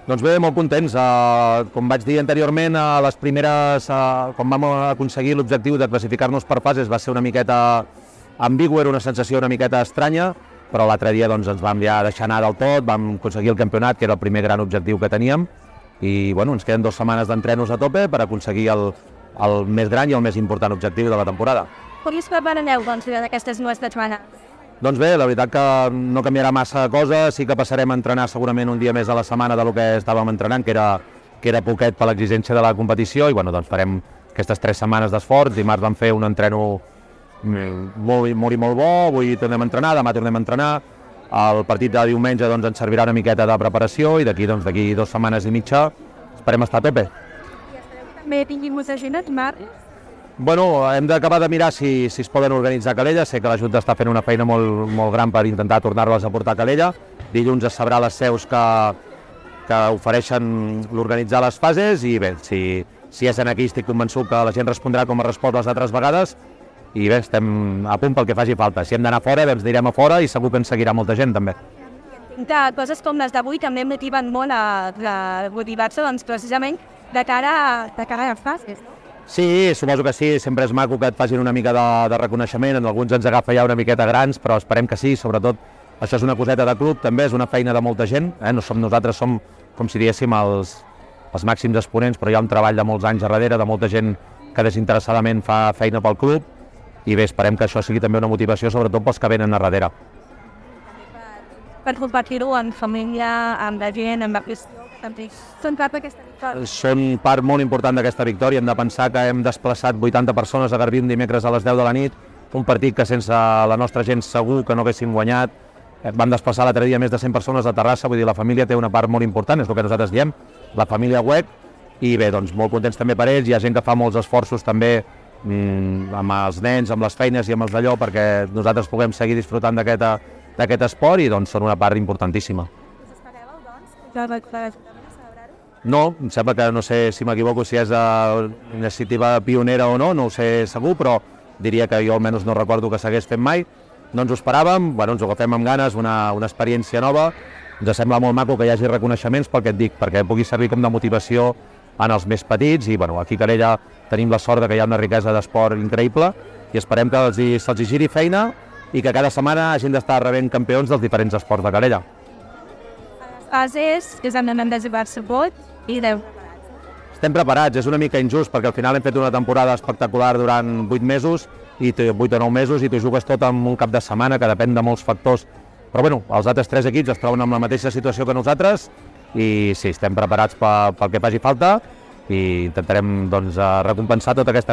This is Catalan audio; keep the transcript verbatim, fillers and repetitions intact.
Doncs bé, molt contents. Uh, com vaig dir anteriorment, a les primeres, uh, quan vam aconseguir l'objectiu de classificar-nos per fases, va ser una miqueta ambigu, era una sensació una miqueta estranya, però l'altre dia doncs, ens vam ja deixar anar del tot, vam aconseguir el campionat, que era el primer gran objectiu que teníem, i bueno, ens queden dues setmanes d'entrenos a tope per aconseguir el, el més gran i el més important objectiu de la temporada. Com us prepareu doncs, d'aquestes dues setmanes? Doncs bé, la veritat que no canviarà massa cosa, sí que passarem a entrenar segurament un dia més a la setmana del que estàvem entrenant, que era, que era poquet per l'exigència de la competició, i bueno, doncs farem aquestes tres setmanes d'esforç. Dimarts vam fer un entreno molt, molt i molt bo, avui tornem a entrenar, demà tornem a entrenar, el partit de diumenge doncs, ens servirà una miqueta de preparació i d'aquí doncs, d'aquí dues setmanes i mitja esperem estar a tope. I espereu que també tinguin molta gent a dimarts? Bueno, hem d'acabar de mirar si, si es poden organitzar a Calella. Sé que la Junta està fent una feina molt, molt gran per intentar tornar-les a portar a Calella. Dilluns es sabrà les seus que, que ofereixen l'organitzar les fases i bé, si, si és en aquí estic convençut que la gent respondrà com ha respost les altres vegades i bé, estem a punt pel que faci falta. Si hem d'anar fora, bé, ens anirem a fora i segur que ens seguirà molta gent també. De coses com les d'avui també motiven molt a, a motivar-se doncs, precisament de cara, de cara a les fases. Sí, suposo que sí, sempre és maco que et facin una mica de, de reconeixement, en alguns ens agafa ja una miqueta grans, però esperem que sí, sobretot això és una coseta de club, també és una feina de molta gent, eh? No som nosaltres, som com si diguéssim els, els màxims exponents, però hi ha un treball de molts anys darrere, de molta gent que desinteressadament fa feina pel club, i bé, esperem que això sigui també una motivació, sobretot pels que venen a darrere. Per compartir-ho amb família, amb la gent, amb la qüestió, també són part d'aquesta victòria. Són part molt important d'aquesta victòria. Hem de pensar que hem desplaçat vuitanta persones a Garbí un dimecres a les deu de la nit, un partit que sense la nostra gent segur que no haguéssim guanyat. Vam desplaçar l'altre dia més de cent persones a Terrassa, vull dir, la família té una part molt important, és el que nosaltres diem, la família U E C, i bé, doncs molt contents també per ells. Hi ha gent que fa molts esforços també mmm, amb els nens, amb les feines i amb els d'allò perquè nosaltres puguem seguir disfrutant d'aquest d'aquest esport i doncs són una part importantíssima. Us espereu, doncs, que el l'Ajuntament a celebrar-ho? No, em sembla que no sé si m'equivoco si és una iniciativa pionera o no, no ho sé segur, però diria que jo almenys no recordo que s'hagués fet mai. No ens ho esperàvem, bueno, ens ho agafem amb ganes, una, una experiència nova. Ens sembla molt maco que hi hagi reconeixements pel que et dic, perquè pugui servir com de motivació en els més petits i bueno, aquí a Calella tenim la sort que hi ha una riquesa d'esport increïble i esperem que els, se'ls hi giri feina i que cada setmana hagin d'estar rebent campions dels diferents esports de Calella. A les fases, que és on hem de jugar-se vot i deu. Estem preparats, és una mica injust perquè al final hem fet una temporada espectacular durant vuit mesos i vuit o nou mesos i t'ho jugues tot en un cap de setmana que depèn de molts factors. Però bueno, els altres tres equips es troben amb la mateixa situació que nosaltres i sí, estem preparats pel, pel que faci falta i intentarem doncs, recompensar tota aquesta feina